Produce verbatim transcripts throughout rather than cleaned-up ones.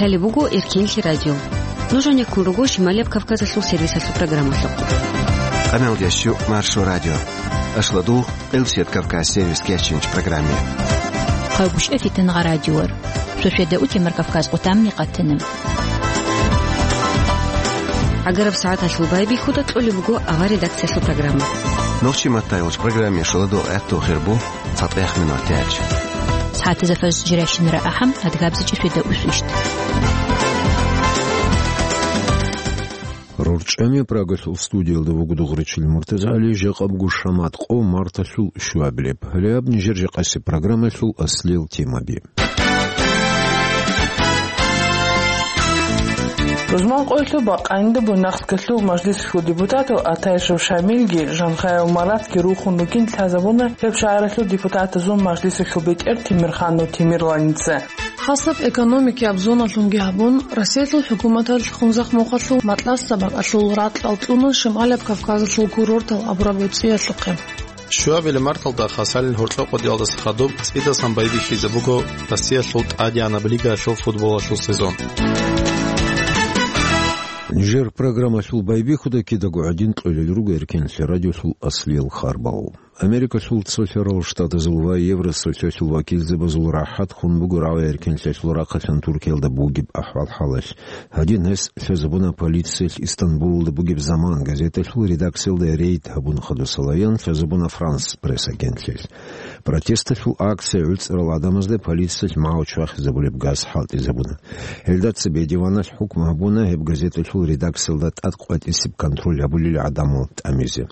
Гьале буго Эркенлъи радио. Нуж гьанеккун руго Шималияб Кавказалъул сервисалъул программалъухъ. Къамел ящу Маршо радио. Ашладу Элсет Кавказ сервис кечинч программе. Хъавгуш эфитан гъа радиор. Шошеда утемар Кавказ къутамни къатана. Агараб сагӀаталъул байбихьуда кьолеб буго авар редакциялъул программа. Нохчи маттайолч программе шуладо гӀатту хирбу. ЦатӀех минут тяч. СагӀатазда фарз жиращинара ахӀам, адгабзичӀи шуйда усвищт. РорчӀами Прагалъул студиялда вуго дугъричил МуртазагӀали, жакъа буго шамат къо марталъул щуабилеб. Гьале гьаб нижер жакъасеб программалъул аслиял темаби. Рузман къоялъул бакъанинда Буйнакскалъул мажлисалъул депутатал Атайшев Шамилги Жанхаев Маратги рухун ругин лъазабуна гьеб шагьаралъул депутатазул мажлисалъул бетӀер Темирханов Темирланица. Хасаб экономикияб зоналъунги гьабун, Россиялъул хӀукуматалъ Хунзахмухъалъул Матласса бакӀалъул ракьал кьуна Шималияб Кавказалъул курортал абураб гӀуцӀиялъухъе. Щуабилеб марталда Хасалил гьоркьо къодиялдаса хадуб цӀидасан байбихьизе буго Россиялъул тӀадегӀанаб лигаялъул футболалъул сезон. Нижер программалъул байбихьуда кидаго гӀадин кьолел руго Эркенлъи радиолъул аслиял харбал. Америкалъул цолъарал штатазул ва Евросоюзалъул вакилзабазул рахӀат хун буго рагӀи Эркенлъиялъул рахъалъан Туркиялда бугеб ахӀвал-хӀалалъ. Гьадин гьес лъазабуна полициялъ Истанбулалда бугеб «Заман» газеталъул редакциялда рейд гьабун хадусалаян лъазабуна «Франс Пресс» агентлъиялъ. Протесталъул акция гӀуцӀарал гӀадамазда полициялъ магӀу чвахизабулеб газ хӀалтӀизабуна. Гьелда цебе диваналъ хӀукму гьабуна гьеб газеталъул редакциялда тӀад къватӀисеб контроль гьабулел гӀадамал тӀамизе.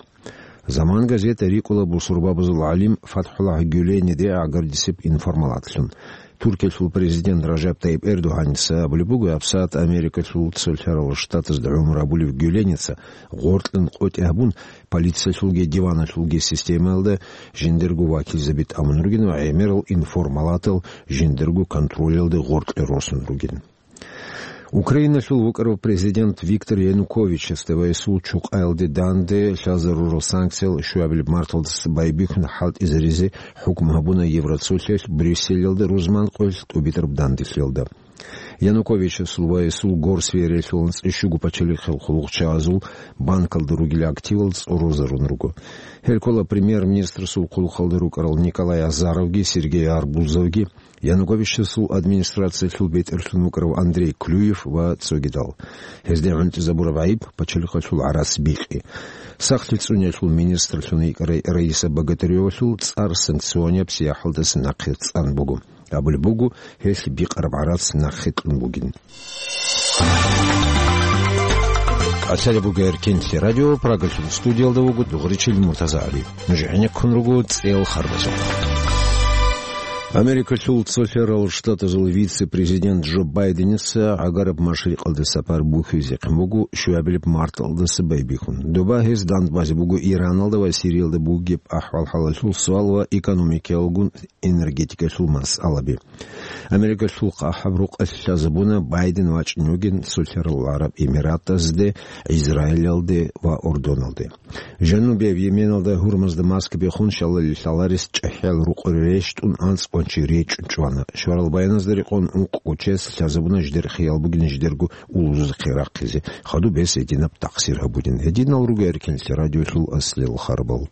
«Заман» газета рикӀкӀула бусурбабазул гӀалим ФатхӀуллагь Гюлениде гӀагардисеб информалатлъун. Туркиялъул президент Ражаб Тайип Эрдогьаница абулеб буго, гьабсагӀат Америкалъул цолъарал штатазда гӀумру гьабулев Гюленица гъоркьан къотӀи гьабун, полициялъулги диваналъулги системаялда жиндирго вакилзаби тӀамун ругин ва гӀемерал информалатал жиндирго контролялде гъоркье росун ругин. Украиналъул вукӀарав президент Виктор Януковичасда ва гьесул чукъаялде данде лъазарурал санкциял щуабилеб марталдаса байбихьун хӀалтӀизаризе хӀукму гьабуна Евроцолъиялъ Брюсселалда рузман къоялъ тӀубитӀараб данделъиялда. Януковичасул ва гьесул горсвериялъул анцӀила щуго пачалихъал хъулухъчагӀазул банкалда ругел активал цӀорорзарун руго. Гьел ккола премьер-министрасул хъулухъалда рукӀарал Николай Азаровги Сергей Арбузовги, Януковичасул администрациялъул бетӀерлъун вукӀарав Андрей Клюев ва цогидал. Гьезде гӀунтӀизабураб гӀайиб пачалихъалъул гӀарац бикъи. Сахлъи цӀуниялъул министрлъун йикӀарай Раиса Богатыревалъул цӀар санкционияб сияхӀалдаса нахъе цӀан буго. Абулеб буго, гьелъ бикъараб гӀарац нахъе кьун бугин. Къасалеб буго Эркенлъи радио, Прагалъул студиялда вуго дугъричил МуртазагӀали. Нуж гӀенеккун руго цӀел харбазухъ. Америкалъул цолъарал штатазул вице-президент Джо Байденица гӀагараб машрикъалде сапар бухьизехъин буго щуабилеб марталдаса байбихьун. Доба гьес дандбазе буго Ираналда ва Сириялда бугеб ахӀвал-хӀалалъул суал ва экономикаялгун энергетикалъул масъалаби. Америкалъул къахӀаб рукъалъ лъазабуна Байден вачӀине вугин Сулъарал ГӀараб Эмиратазде, Израилалде ва Урдуналде. Жанубияб Йеменалда гьурмазда маскаби хун шалали лъаларес чӀахӀиял рукъ рещтӀун анцӀ къванчи речӀчӀвана. Шварал баяназда рекъон ункъго чияс лъазабуна жидер хиял бугин жидерго улузухъе рахъизе, хадуб гьес гьединаб такъсир гьабунин. Гьединал руго Эркенлъи радиолъул аслиял харбал.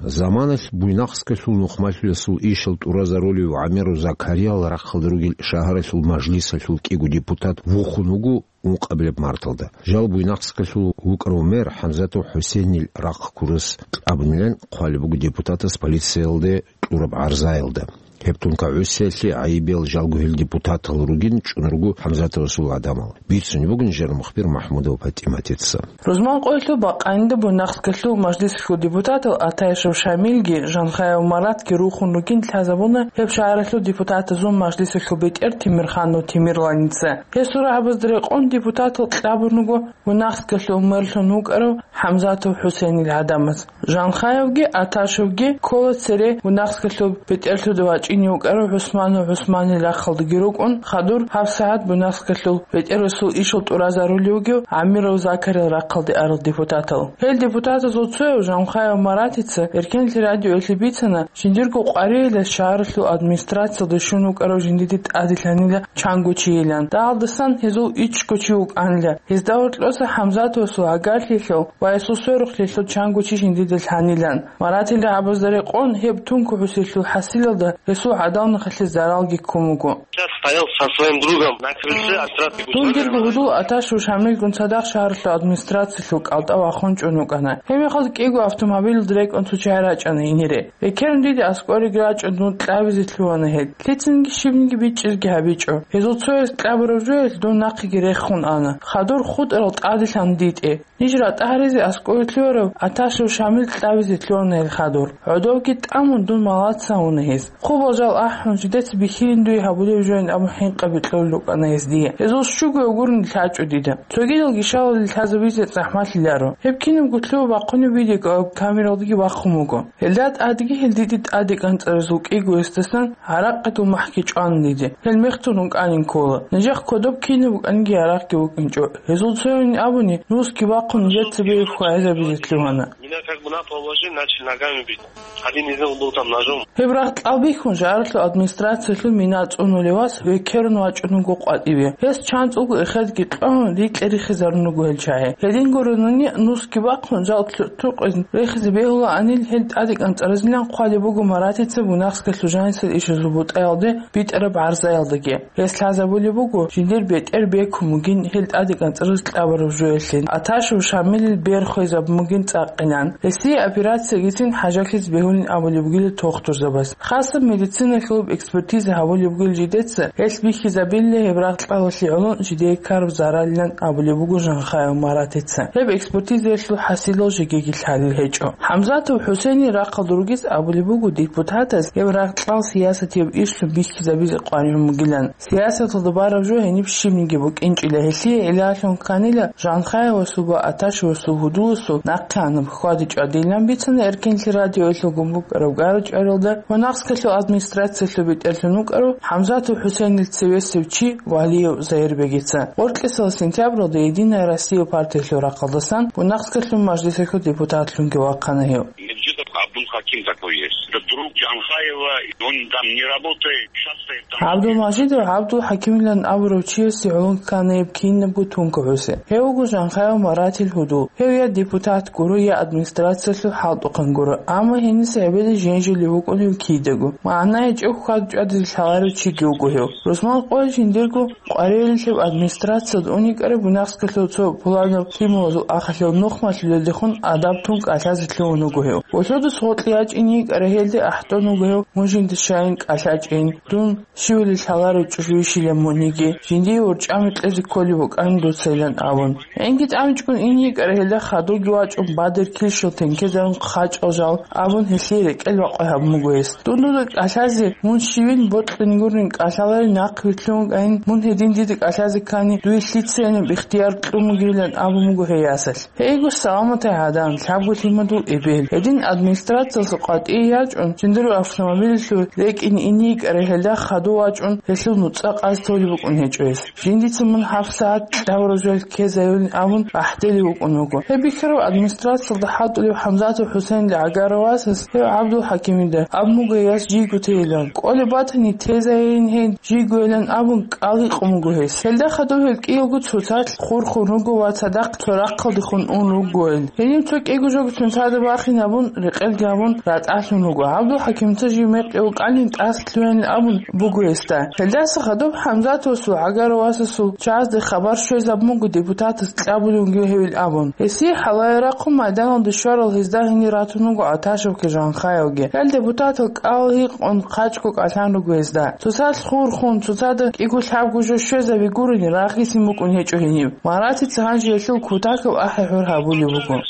Заманалъ Буйнакскалъул нухмалъулесул ишал тӀуразарулев ГӀамеру Закариял рахъалда ругел шагьаралъул мажлисалъул кӀиго депутат вухун вуго ункъабилеб марталда. Жал Буйнакскалъул вукӀарав мэр ХӀамзатов ХӀусейнил рахъ ккурас кьабунилан хъвалеб буго депутатас полициялде кьураб гӀарзаялда. Гьеб тунка гӀусиялъе гӀайибиял жалго гьел депутатал ругин чӀун руго ХӀамзатовасул гӀадамал. Бицунеб бугин жер мухбир МахӀмудов ПатӀиматица. Рузман къоялъул бакъанинда Буйнакскалъул мажлисалъул депутатал Атайшев Шамилги Жанхаев Маратги рухун ругин лъазабуна гьеб шагьаралъул депутатазул мажлисалъул бетӀер Темирханов Темирланица. Гьесул рагӀабазда рекъон депутатал кьабун руго Буйнакскалъул мэрлъун вукӀарав ХӀамзатов ХӀусейнил гӀадамаз. Жанхаевги Аташевги ккола цере Буйнакскалъул бетӀерлъуда вачӀи чӀине вукӀарав ГӀусманов ГӀусманил рахъалдаги рукӀун, хадур гьабсагӀат Буйнакскалъул бетӀерасул ишал тӀуразарулев вугев ГӀамиров Закарил рахъалде арал депутатал. Гьел депутатазул цояв Жанхаев Маратица Эркенлъи радиоялъе бицана, жиндирго къваригӀелас шагьаралъул администрациялда щун вукӀарав жиндиде тӀаделъанила чанго чийилан. Дагьалдасан гьезул ичӀго чи вукӀанила. Гьезда гьоркьоса ХӀамзатовасул гӀагарлъиялъул ва гьесул сверухълъиялъул чанго чи жиндида лъанилан. Маратил рагӀабазда рекъон гьеб Тункухъусиялъул хӀасилалда гьесул гӀадамалихъалъе заралги ккун буго. Сейчас стоял со своим другом на крыльце администрации. Дун дирго гьудул Аташев Шамилгун цадахъ шагьаралъул администрациялъул кӀалтӀа вахун чӀун вукӀана. Гьебмехалда кӀиго автомобилалда рекӀун цо чагӀи рачӀана гьенире. Экерун диде аскӀориги рачӀун дун кьабизе лъугьана гьел. Лъицаниги щибниги бичӀчӀизеги гьабичӀо. Гьезул цояс кьабураб жоялъ дун нахъеги рехун ана. Хадур хутӀарал тӀаделъан дитӀе. Ниж ратӀа гьаризе аскӀове лъугьарав Аташев Шамил кьабизе лъугьана гьел хадур. ГӀодовги тӀамун дун малаца гьуна гьез. Хъубал жал ахӀун, жидеца бихьилин дуе гьабулеб жоян абун хӀинкъаби кьолел рукӀана гьез дие. Гьезул щуго гурун лъачӀо дида. Цогидал гишалали лъазабизе захӀмалъиларо. Гьеб кинабго лъугьа бахъунеб видеокамералдаги бахъун буго. Гьелда тӀадги гьел диде тӀаде кӀанцӀаразул кӀиго гьесдасан гӀаракъидул махӀги чӀван диде. Гьел мехтун рукӀанин ккола. Нижехъ кодоб кинаб букӀаниги гӀаракъги букӀинчӀо. Гьезул цоян абуни, нусги бахъун нижеца бегьухъ хвагӀизабизе лъугьана. Меня как бы на пол вложили, начали ногами бить. Один из них был там ножом. Гьеб рагъ кьал бихьун, шагьаралъул администрациялъул мина цӀунулев вас векерун вачӀун вуго къватӀиве. Гьес чанцӀулго эхедги кьвагьун, рикьа-рихизарун руго гьел чагӀи. Гьедин гурони, нусги бахъун, жал ту-, тукъин рехизе бегьулаанил гьел тӀаде кӀанцӀаразилан хъвалеб буго Маратица Буйнакскалъул жанисел ишазул бутӀаялде битӀараб гӀарзаялдаги. Гьес лъазабулеб буго, жиндир бетӀер бекун бугин гьел тӀаде кӀанцӀараз кьабураб жоялъе, Аташев Шамилил бер хвезабун бугин цӀакъилан. Гьесие операциягицин хӀажалъизе бегьулин абулеб бугила тохтурзабаз. Хасаб медициналъулаб экспертиза гьабулеб бугила жидеца, гьелъ бихьизабила гьеб рагъ кьалалъе гӀоло жидее ккараб заралилан абулеб буго Жанхаев Маратица. Гьеб экспертизаялъул хӀасилал жегиги лъалел гьечӀо. ХӀамзатов ХӀусейнил рахъалда ругез абулеб буго депутатаз гьеб рагъ кьал сиясатияб ишлъун бихьизабизе къваригӀун бугилан. Сиясаталда бараб жо гьениб щибниги букӀинчӀила, гьелъие гӀиллалъун кканила Жанхаевасул ва Аташевасул гьудуласул нахъеанаб хьвади-чӀвадилан бицана Эркенлъи радиоялъул гумбукӀараб гара-чӀваралда Буйнакскалъул администрациялъул бетӀерлъун вукӀарав ХӀамзатов ХӀусейнил цевесев чи Валиев Заирбегица. Гъоркьисал сентябралда «Единая Россия» партиялъул рахъалдасан Буйнакскалъул мажлисалъул депутатлъунги вахъана гьев. Меджидов Абдул Хаким такой есть. Это друг Джанхаева, он там не работает, часто там. ГӀабдулмажидов ГӀабдул Хакимилан абурав чиясе гӀоло ккана гьеб кинабго Тункухъуси. Гьев вуго Жанхаев Маратил гьудул. Гьев я депутат гуро, я администрациялъул хӀалтӀухъан гуро, амма гьениса гӀебеде женжулев вукӀунев кидаго. МагӀна гьечӀеб хьвад-чӀвадизе лъаларев чиги вуго гьев. Рузман къоялъ жиндирго къваригӀелилъаб администрациялда уникӀараб Буйнакскалъул цо пуланаб лъималазул ахалъул нухмалъулелдехун адаб тун кӀалъазе лъугьун вуго гьев. Волъодас гъоркье ячӀин йикӀарай гьелде ахӀдон вуго гьев: «Мун жинда щайин кӀалъачӀин, дун щивали лъаларев чӀужу йищила муниги, жиндие урчӀами кьезе кколеб букӀанин дуцайилан», — абун. ГӀинги тӀамичӀгун ин йикӀарай гьелда хадурги вачӀун, бадер килщал тенкезарун хъачӀал жал абун, гьелъие рекӀел бакъвай гьабун буго гьес. Дун дуда кӀалъазе, мун щивин бокьун гурин кӀалъаларин нахъ вилълъун вукӀайин, мун гьедин дида кӀалъазе ккани, дуе лъицайинаб ихтияр кьун бугилан абун буго гьей ясалъ. Гьейго, саламатай гӀадан, лъабго лъимадул эбел. Гьедин администрациялъул къватӀие ячӀун, жиндирго автомобилялъул рекӀин ин йикӀарай гьелда хадув вачӀун, гьелъул нуцӀа къаз толеб букӀун гьечӀо гьес. Жиндица мун гьабсагӀат кьавружал ккезайилин абун ахӀделев вукӀун вуго. Гьеб бихьарав администрациялда хӀалтӀулев ХӀамзатов ХӀусейнил гӀагарав васас гьев ГӀабдул Хакимида абун буго гьес жийго тейилан. КӀолеб батани, тезайин гьей жийгойилан абун, кӀал гьикъун буго гьес. Гьелда хадуб гьел кӀиялго цоцалъ хурхун руго ва цадахъ цо рахъалдехун ун ругойил. Гьениб цо кӀиго жого цоцазда бахинабун, рекъелги гьабун, ратӀалъун руго. ГӀабдул Хакимица жив мекъи вукӀанин тӀаса лъугьанин абун буго гьесда. Гьелдаса хадуб ХӀамзатовасул гӀагарав васасул чагӀазде хабар щвезабун буго депутатас кьабулев вугев гьевил абун. Гьесие хӀалае рахъун майданалде щварал гьезда гьенир ратун вуго Аташевги Жанхаевги. Гьел депутатал кӀал гьикъун хъачӀго кӀалъан руго гьезда. Цоцалъ хурхун, цоцада кӀиго-лъабго жо щвезаби гурони, рагъисин букӀун гьечӀо гьениб. Маратица гьанже гьелъул кутакаб ахӀи-гьур гьабулев вуго.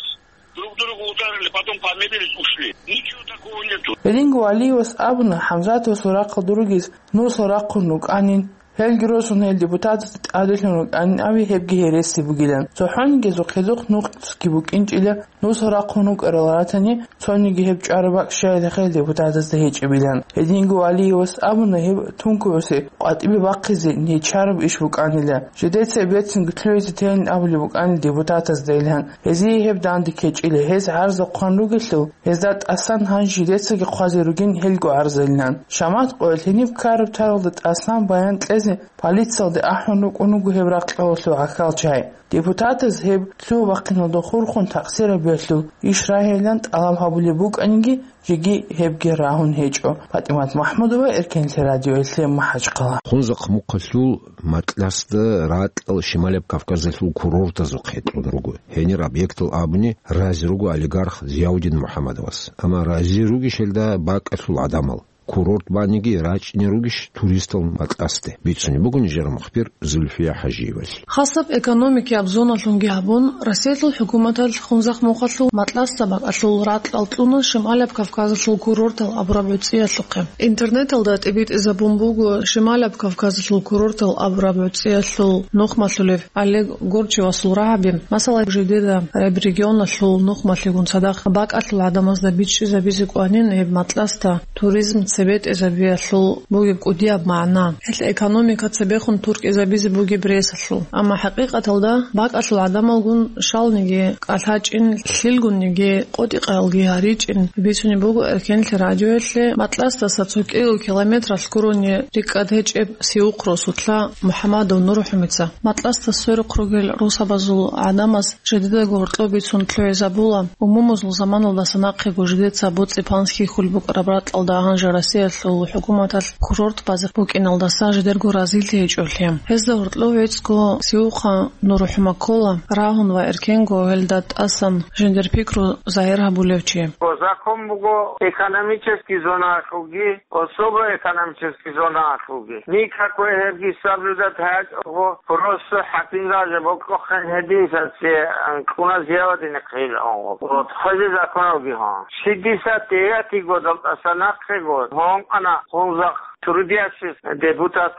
Друг друга ударили, потом помирились, ушли. Ничего такого нету. Гьединго Валиевас абуна, ХӀамзатовасул рахъалда ругез нусал рахъун рукӀанин, Гьелги росун гьел депутатазда тӀаделъун рукӀанин, аби гьебги гьереси бугилан. ЦохӀониги гьезухъ гьезухъ нухъги букӀинчӀила, нусал рахъун рукӀарал ратани, цониги гьеб чӀвараб бакӀ щайилан гьел депутатазда гьечӀебилан. Гьединго Алиевас абуна, гьеб тункуюсе къватӀибе бахъизе нечараб иш букӀанила. Жидеца бецинго лъугьизе тейин абулеб букӀанила депутатазда илан. Гьезие гьеб данде ккечӀила, гьез гӀарза хъван ругелъул, гьезда тӀасан гьанже жидецаги хъвазе ругин гьелго гӀарзайилан. Шамат къоялъ гьениб ккараб таралда тӀасан баян кьезе полициялде ахӀун рукӀун руго гьеб ракьалалъул гӀахьалчагӀи. Депутатаз гьеб лъугьа-бахъиналда хурхун такъсир гьабиялъул иш рагьилан тӀалаб гьабулеб букӀаниги, жеги гьебги рагьун гьечӀо. ПатӀимат МахӀмудова, Эркенлъи радиоялъе, МахӀачхъала. Хунзахъ мухъалъул Матласда ракьал Шималаб Кавказалъул курортазухъ гьекьун руго. Гьенир объектал абуни рази руго олигарх Зияудин МухӀаммадовас. Амма рази ругищ гьелда бакӀалъул гӀадамал? Курорт баниги рачӀине ругищ туристал Матласде? Бицунеб буго нижер мухбир Зульфия ХӀажиевалъ. Хасаб экономикияб зоналъунги гьабун, Россиялъул хӀукуматалъ Хунзахъ мухъалъул Матласда бакӀалъул ракьал кьуна Шималаб Кавказалъул курортал абураб гӀуцӀиялъухъе. Интернеталда тӀибитӀизабун буго Шималаб Кавказалъул курортал абураб гӀуцӀиялъул нухмалъулев Олег Горчевасул рагӀаби, масала, жидеда гьеб регионалъул нухмалъигун цадахъ бакӀалъул гӀадамазда бичӀчӀизабизе кӀванин гьеб Матласда туризм цебетӀезабиялъул бугеб кӀудияб магӀна. Гьелъ экономика цебехун туркӀизабизе бугеб ресалъул. Амма хӀакъикъаталда бакӀалъул гӀадамалгун щалниги кӀалъачӀин, лъилгунниги къотӀи-къаялги гьаричӀин. Бицунеб буго Эркенлъи радиоялъе Матласдаса цо кӀиго километралъ гурони рикӀкӀад гьечӀеб Сиухъ росулъа МухӀамадов НурхӀумица. Матласда сверухъ ругел росабазул гӀадамаз жидедаго гьоркьоб бицун лъугӀизабула, умумузул заманалдаса нахъего жидеца БоцӀи-панс хьихьулеб букӀараб ракьалда гьанже Россиялъул хӀукуматалъ курорт базе букӀиналдаса жидерго разилъи гьечӀолъи. Гьезда гьоркьов гӀицӀго Сиухъа НурхӀума ккола, рагьун ва эркенго гьелда тӀасан жиндир пикру загьир гьабулев чи. Закон буго экономический зоналъулги, особо экономический зоналъулги. Никакой гьебги соблюдать гьечӀого, просто хӀакимзабазе бокьухъен гьединсаце анкъуна Зияудин хъилаон. Вот, хвезе законалги гьон. Шестьдесят девятый годал тӀаса нахъего гьон ана Хунзахъ трудящийся депутат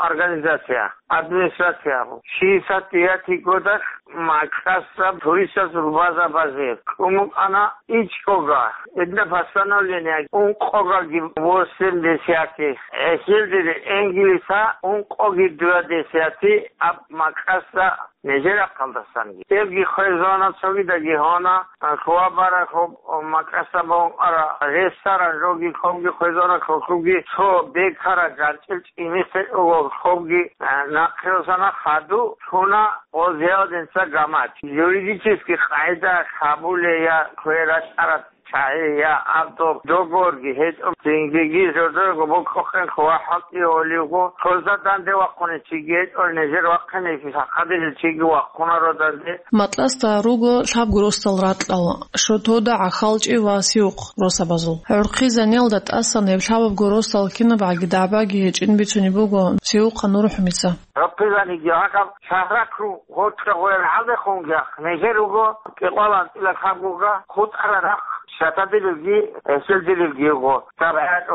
организация, администрация. Шестьдесят девятый годалъ Матласда туристазул база базе кӀун букӀана ичӀого. Гьедина постановление ункъоги восемь десятых, гьесилдеги энгилиса ункъоги два десятых аб Матласда нижер рахъалдасанги. Эбги хвезона цогидаги гьона, хьвабарахъуб Матласда бон ара ресторан жоги хъобги хвезона хъубги цо бекара ганчӀил чӀимисел хъубги, а, нахъе росана хаду, чуна, о, Зияудинца гамач. Юридический къайда хабулея, кверачӀарат чагӀи я аб доб догорги гьечӀо, цинги жодорго бокьухъен хва хӀалтӀи оливго, хоза данде вахъуни чиги гьечӀо, нижер вахъине сахадили чиги вахъунаро данде. Матласда руго лъабго росдал ракьал: Шотода, ГӀахьалчӀи ва Сиухъ росабазул. ГӀурхъи заниялда тӀасан гьеб лъабабго росдал кинабгӀаги дагӀбаги гьечӀин бицунеб буго Сиухъа НурхӀумица. ГӀурхъи заниги гьагаб шагьракру гъоркьа гъоял гьалдехунги нижер руго кӀикъоялда анцӀила лъабгога хутӀара рахъ, щатадилелги, эсилдилелги йиго.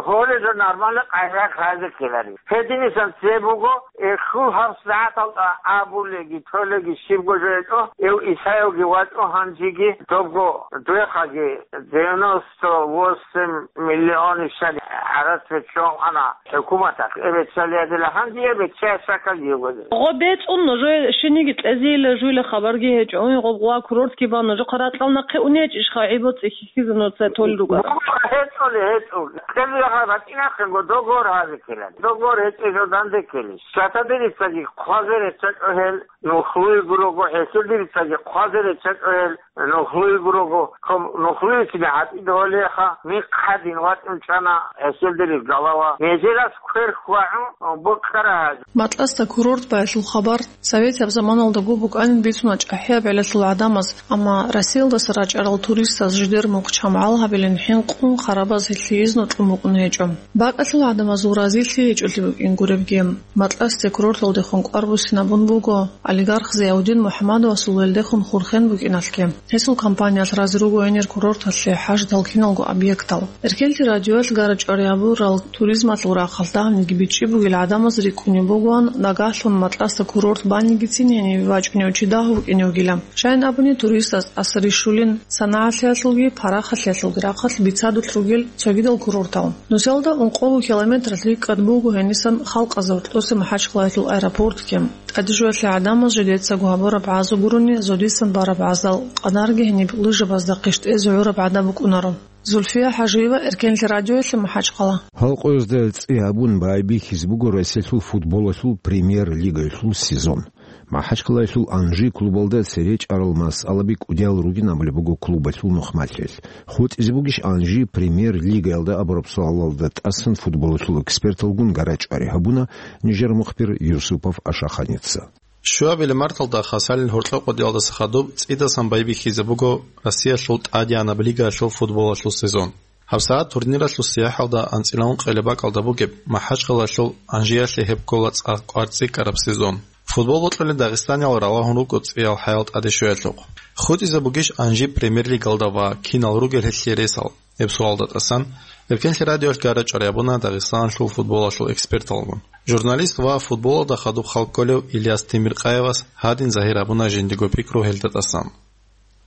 Гьоле жо нормально къайгъа хъазе ккелари. Гьединисан цебе буго, эху гьаб сагӀаталда абулеги, толеги щибго жо гьечӀо, эв Исаевги вачӀо гьанжеги, добго дуехъаги девяносто восемь миллион ишали гӀарац беччон ана хӀукуматалъ. Эб беччалиядила гьанже эб бечча шакал йигозе. Гъо бецӀун нужее шиниги кьезейила жуйла хабарги гьечӀо. Гъоб гъуа курортги бан нужехъа ракьал нахъе унечӀищха гӀибо цӀихьихьизе нуца тол ругара? ГьечӀоли, гьечӀоли. КьезегӀан батӀинахъего договор гьазе ккелан. Договор гьечӀеб жо данде ккелищ? Щатадирицаги хъвазе реччачӀо гьел, нухлуй гурого, гьесилдирицаги хъвазе реччачӀо гьел, нухлуй гурого. Ком нухлуй кина гьатӀи довалеха, михъ гьадин вачӀун чӀана гьесилдирив галава. Нижерас квер хьвагӀун бокьара гьази. Матласда курорт баялъул хабар советияб заманалдаго букӀанин бицуна чӀахӀияб гӀелалъул гӀадамаз, амма Россиялдаса рачӀарал туристаз жидер мухъ чамгӀал гьабилин хӀинкъун харабаз гьелъие изну кьун букӀун гьечӀо. БакӀалъул гӀадамазул разилъи гьечӀолъи букӀин гуребги, Матласде курорталдехун кӀвар буссинабун буго олигарх Зияудин МухӀаммадовасул гьелдехун хурхен букӀиналъги. Гьесул компаниялъ разе руго гьенир курорталъе хӀаждал киналго объектал. Эркенлъи радиоялъ гара-чӀвари гьабурал туризмалъул рахъалъ дагьабниги бичӀчӀи бугел гӀадамаз рикӀкӀунеб бугоан нагагьлъун макьаса курорт банигицин гьенибе вачӀунев чи дагьав вукӀине вугилан. Щайин абуни, туристаз тӀаса рищулин санагӀалъиялъулги парахаталъулги рахъалъ бицадулъ ругел цогидал курортал. Нусиялда ункъого километралъ рикӀкӀад буго гьенисан халкъазда гьоркьоса МахӀачхъалаялъул аэропортги. ТӀадежоялъе гӀадамаз жидецаго гьабураб гӀазу гурони зодисан бараб гӀаздал къадарги гьениб лыжабазда къищтӀезе гӀураб гӀадаб букӀунаро. Зульфия ХӀажиева, Эркенлъи радиоялъе, МахӀачхъала. Халкъоязда цӀи гьабун байбихьизе буго Россиялъул футболалъул премьер-лигаялъул сезон. МахӀачхъалаялъул «Анжи» клубалда цере чӀарал масъалаби кӀудиял ругин абулеб буго клубалъул нухмалъиялъ. ХутӀизе бугищ «Анжи» премьер-лигаялда абураб суалалда тӀасан футболалъул эксперталгун гара-чӀвари гьабуна нижер мухбир Юсупов Ашаханица. Щуабилеб марталда хасалил гьоркьо къодиялдаса хадуб цӀидасан байбихьизе буго Россиялъул тӀадегӀанаб лигаялъул футболалъул сезон. ГьабсагӀат турниралъул сияхӀалда анцӀила ункъоялда бакӀалда бугеб МахӀачхъалаялъул «Анжиялъе» гьеб ккола цӀакъ кӀвар цӀикӀкӀараб сезон. Футбол бокьулел дагъистаниял ралагьун руго цӀиял хӀаял тӀаде щвеялъухъ. ХутӀизе бугищ «Анжи» премьер-лигалда ва кинал ругел гьелъие ресал? Гьеб суалда тӀасан Эркенлъи радиоялъ гара-чӀвари гьабуна Дагъистаналъул футболалъул эксперталгун. Журналист ва футболалда хадуб хал кколев Ильяс Темиркъаевас гьадин загьир гьабуна жиндиго пикру гьелда тӀасан.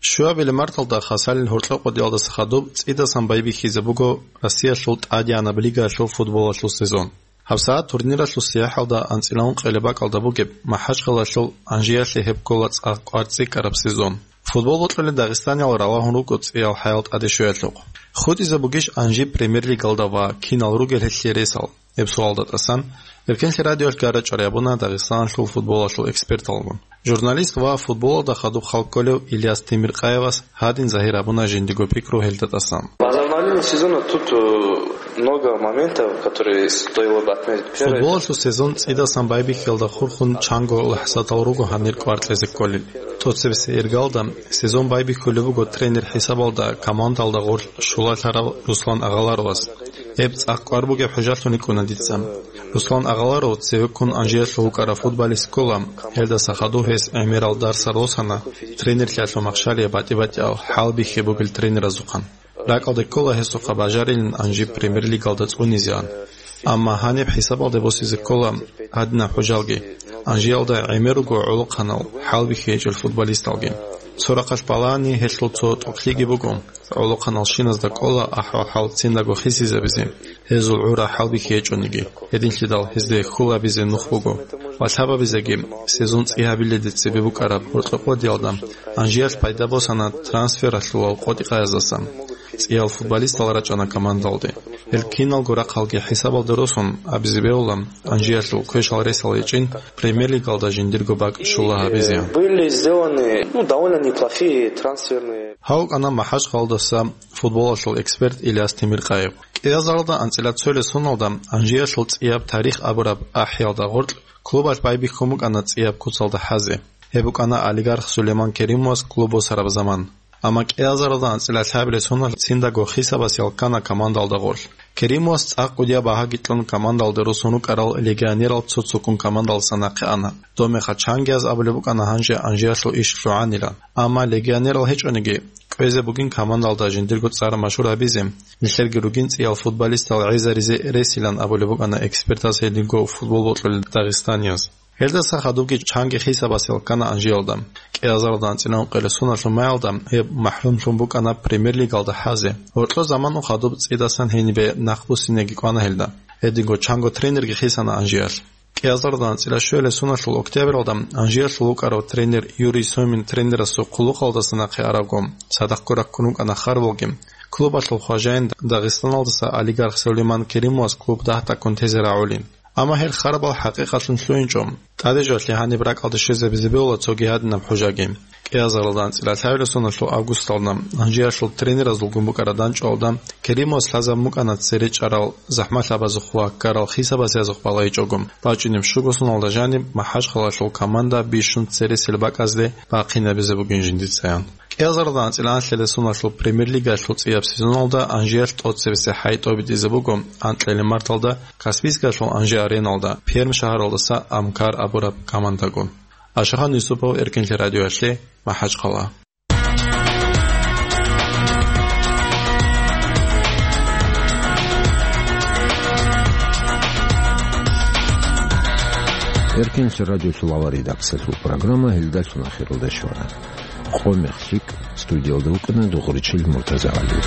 Щуабилеб марталда хасалил гьоркьо къодиялдаса хадуб цӀидасан байбихьизе буго Россиялъул тӀадегӀанаб лигаялъул футболалъул сезон. ГьабсагӀат турниралъул сияхӀалда анцӀила ункъоялда бакӀалда бугеб МахӀачхъалаялъул «Анжиялъе» гьеб ккола цӀакъ кӀвар цӀикӀкӀараб сезон. Футбол бокьулел дагъистаниял ралагьун руго цӀиял хӀаял тӀаде щвеялъухъ. ХутӀизе бугищ «Анжи» премьер-лигалда ва кинал ругел гьелъие ресал? Гьеб суалда тӀасан Эркенлъи радиоялъ гара-чӀвари гьабуна Дагъистаналъул футболалъул эксперталгун. Журналист ва футболалда хадуб хал кколев Ильяс Темиркъаевас гьадин загьир гьабуна жиндиго пикру гьелда тӀасан. По завершению сезона тут, э, много моментов, которые стоило бы отметить. Первое, футболалъул сезон цӀидасан байбихьиялда хурхун чанго лахӀзатал руго гьанир кӀвар кьезе кколел. ТӀоцебесеб иргалда сезон байбихьулеб буго тренер хӀисабалда командалда гъорлъ щулалъарав Руслан Агъаларовас. Гьеб цӀакъ кӀвар бугеб хӀужалъун йикӀуна дица. Руслан Агъаларов цевеккун Анжиялъул вукӀарав футболист ккола, гьелдаса хадуб гьес гӀемерал дарсар босана, тренерлъиялъул махщалие батӀи-батӀиял хӀалбихьи бугел тренеразухъан. РакӀалде ккола гьесухъа бажарилин Анжи премьер-лигалда цӀунизеан. Амма гьаниб хӀисабалде босизе ккола гьадинаб хӀужалги, Анжиялда гӀемер руго гӀолохъанал хӀалбихьи гьечӀел футболисталги. Цо рахъалъ балагьани, гьелъул цо тӀокӀлъиги буго. ГӀолохъаналщиназда кӀола ахӀвал-хӀал циндаго хисизабизе, гьезул гӀура хӀалбихьи гьечӀониги, гьединлъидал гьезде хьул гьабизе нух буго. Ва лъабабизеги, сезон цӀи гьабиледе цебе букӀараб гьоркьо къодиялда Анжиялъ пайда босана трансфералъулал къотӀи-къаяздасан. ЦӀиял футболистал рачӀана командалде. Гьел киналго рахъалги хӀисабалде росун абизе бегьула, Анжиялъул квешал-ресал гьечӀин премьер-лигалда жиндирго бакӀ щула гьабизе. Были сделаны, ну, довольно неплохие трансферные. Гьав вукӀана МахӀачхъалдаса футболалъул эксперт Ильяс Темиркъаев. КӀиазаралда анцӀила цоялъ соналда Анжиялъул цӀияб тарих абураб ахӀиялда гъоркь клубалъ байбихьун букӀана цӀияб куцалда хӀазе. Гьеб букӀана олигарх Сулейман Керимовас клуб босараб заман. Амма кӀиазаралда анцӀила лъабилеб соналъ циндаго хисабас ял ккана командалда гъорлъ. Керимовас цӀакъ кӀудияб багьаги кьун командалде росун рукӀарал легионерал цо-цоккун командалдаса нахъе ана. Доб мехалъ чангияз абулеб букӀана гьанже Анжиялъул иш лъугӀанилан. Амма легионерал гьечӀониги, кӀвезе бугин командалда жиндирго цӀар машгьур гьабизе, нилъерги ругин цӀиял футболистал гӀезаризе ресилан абулеб букӀана экспертаз гьединго футбол бокьулел дагъистанияз. Гьелдаса хадубги чанги хисабас ял ккана Анжиялда. КӀиазаралда анцӀила ункъоялъ соналъул маялда гьеб махӀрумлъун букӀана премьер-лигалда хӀазе. Гьоркьо заман хадуб цӀидасан гьенибе нахъ буссинеги кӀвана гьелда. Гьединго чанго тренерги хисана Анжиялъ. КӀиазаралда анцӀила щуялъ соналъул октябралда Анжиялъул вукӀарав тренер Юрий Сомин тренерасул хъулухъалдаса нахъе аравго, цадахъго раккун вукӀана харбалги. Клубалъул хважаин Дагъистаналдаса олигарх Сулейман Керимовас клуб дагь тӀакӀун тезе рагӀулин. Амма гьел харбал хӀакъикъатлъун лъугьинчӀо. ТӀадежалъе гьаниб ракӀалде щвезабизе бегьула цоги гьадинаб хӀужаги. КӀиазаралда анцӀила лъабилеб соналъул августалда Анжиялъул тренеразулгун букӀараб дандчӀвалда Керимовас лъазабун букӀана цере чӀарал, захӀмалъабазухъ ва ккарал хисабас язухъ балайчӀого, бачӀунеб щуго соналда жаниб МахӀачхъалаялъул команда бищун цересел бакӀазде бахъинабизе бугин жиндицаян. КӀиазаралда анцӀила анлъабилеб соналъул премьер-лигаялъул цӀияб сезоналда Анжиялъ тӀоцебесеб хӀай тӀобитӀизе буго анкьилеб марталда Каспийскалъул Анжи-Ареналда, Пермь шагьаралдаса Амкар абураб командагун. Ашахан Юсупов, Эркенлъи радиоялъе, МахӀачхъала. Эркенлъи радиолъул авар редакциялъул программа гьелдалъун ахиралда щвана. Къо-мех лъикӀ, студиялда вукӀана Дугъричил Муртазагьали.